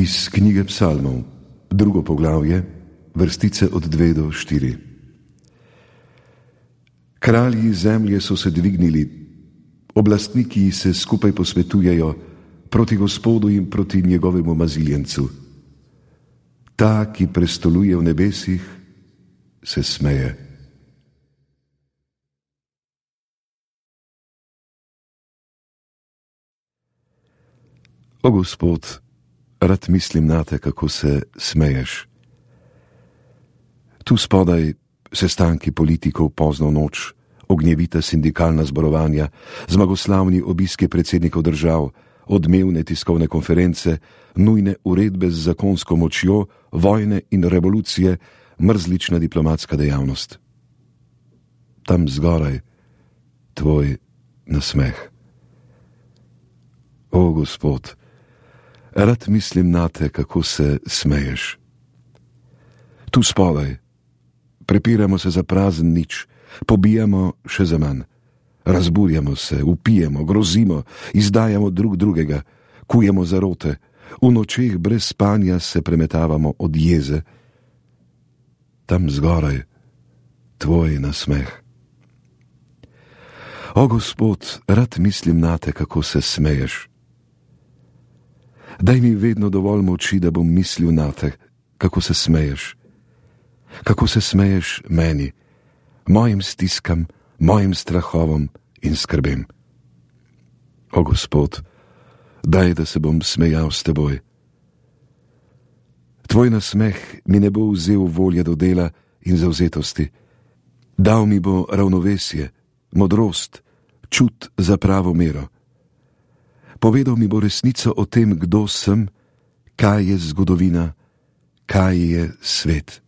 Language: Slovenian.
Iz knjige Psalmov, 2. poglavje, vrstice od 2 do 4. Kralji zemlje so se dvignili, oblastniki se skupaj posvetujejo proti Gospodu in proti njegovemu maziljencu. Ta, ki prestoluje v nebesih, se smeje. O Gospod, rad mislim nate, kako se smeješ. Tu spodaj sestanki politikov pozno noč, ognjevita sindikalna zborovanja, zmagoslavni obiski predsednikov držav, odmevne tiskovne konference, nujne uredbe z zakonsko močjo, vojne in revolucije, mrzlična diplomatska dejavnost. Tam zgoraj tvoj nasmeh. O Gospod, rad mislim nate, kako se smeješ. Tu spodaj prepiramo se za prazen nič, pobijamo še za manj. Razburjamo se, vpijemo, grozimo, izdajamo drug drugega, kujemo zarote, v nočeh brez spanja se premetavamo od jeze. Tam zgoraj tvoj nasmeh. O Gospod, rad mislim nate, kako se smeješ. Daj mi vedno dovolj moči, da bom mislil nate, kako se smeješ. Kako se smeješ meni, mojim stiskam, mojim strahovom in skrbem. O Gospod, daj, da se bom smejal s teboj. Tvoj nasmeh mi ne bo vzel volje do dela in zavzetosti. Dal mi bo ravnovesje, modrost, čut za pravo mero. Povedal mi bo resnico o tem, kdo sem, kaj je zgodovina, kaj je svet.